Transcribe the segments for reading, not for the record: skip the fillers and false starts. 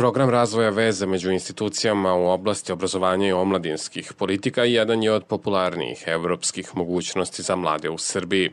Program razvoja veza među institucijama u oblasti obrazovanja i omladinskih politika jedan je od popularnijih evropskih mogućnosti za mlade u Srbiji.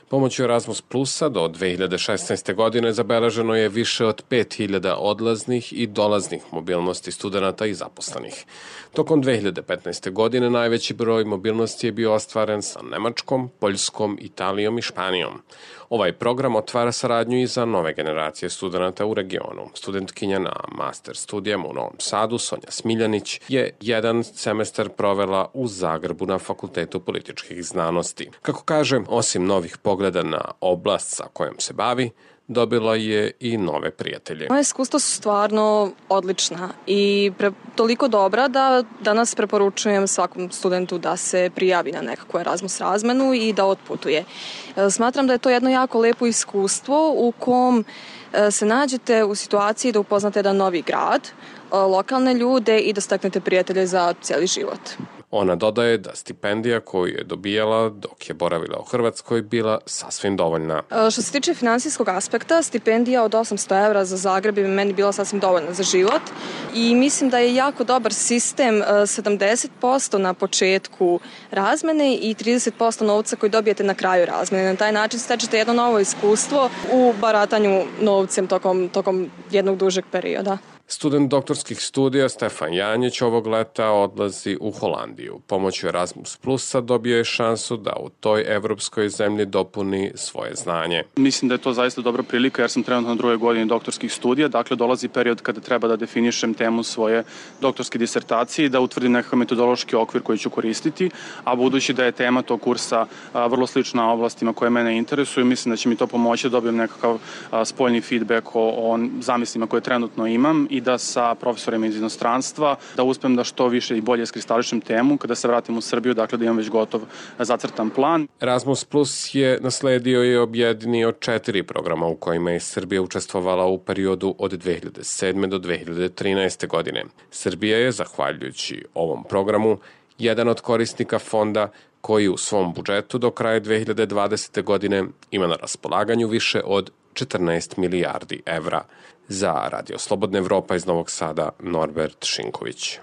Pomoću Erasmus Plusa do 2016. godine zabeleženo je više od 5000 odlaznih i dolaznih mobilnosti studenta i zaposlenih. Tokom 2015. godine najveći broj mobilnosti je bio ostvaren sa Nemačkom, Poljskom, Italijom i Španijom. Ovaj program otvara saradnju i za nove generacije studenta u regionu. Studentkinja na master studijama u Novom Sadu, Sonja Smiljanić, je jedan semestar provela u Zagrebu na Fakultetu političkih znanosti. Kako kaže, osim novih pogleda na oblast sa kojom se bavi, dobila je i nove prijatelje. Moje iskustva su stvarno odlična i toliko dobra da danas preporučujem svakom studentu da se prijavi na nekakvu Erasmus razmenu i da otputuje. Smatram da je to jedno jako lepo iskustvo u kom se nađete u situaciji da upoznate jedan novi grad, lokalne ljude i da steknete prijatelje za cijeli život. Ona dodaje da stipendija koju je dobijala dok je boravila u Hrvatskoj bila sasvim dovoljna. Što se tiče finansijskog aspekta, stipendija od 800 evra za Zagreb bi meni bila sasvim dovoljna za život i mislim da je jako dobar sistem 70% na početku razmene i 30% novca koji dobijete na kraju razmene. Na taj način stečete jedno novo iskustvo u baratanju novcem tokom jednog dužeg perioda. Student doktorskih studija Stefan Janjić ovog leta odlazi u Holandiju. Pomoću Erasmus Plusa dobio je šansu da u toj evropskoj zemlji dopuni svoje znanje. Mislim da je to zaista dobra prilika jer sam trenutno na 2. godini doktorskih studija, dakle dolazi period kada treba da definišem temu svoje doktorske disertacije i da utvrdim nekakav metodološki okvir koji ću koristiti, a budući da je tema tog kursa vrlo slična oblastima koje mene interesuju, mislim da će mi to pomoći da dobijem nekakav spoljni feedback o zamislima koje trenutno imam i da sa profesorima iz inostranstva da uspem da što više i bolje iskristališem temu kada se vratim u Srbiju, dakle da imam već gotov zacrtan plan. Erasmus Plus je nasledio i objedinio 4 programa u kojima je Srbija učestvovala u periodu od 2007. do 2013. godine. Srbija je, zahvaljujući ovom programu, jedan od korisnika fonda koji u svom budžetu do kraja 2020. godine ima na raspolaganju više od 14 milijardi evra. Za Radio Slobodna Evropa iz Novog Sada, Norbert Šinković.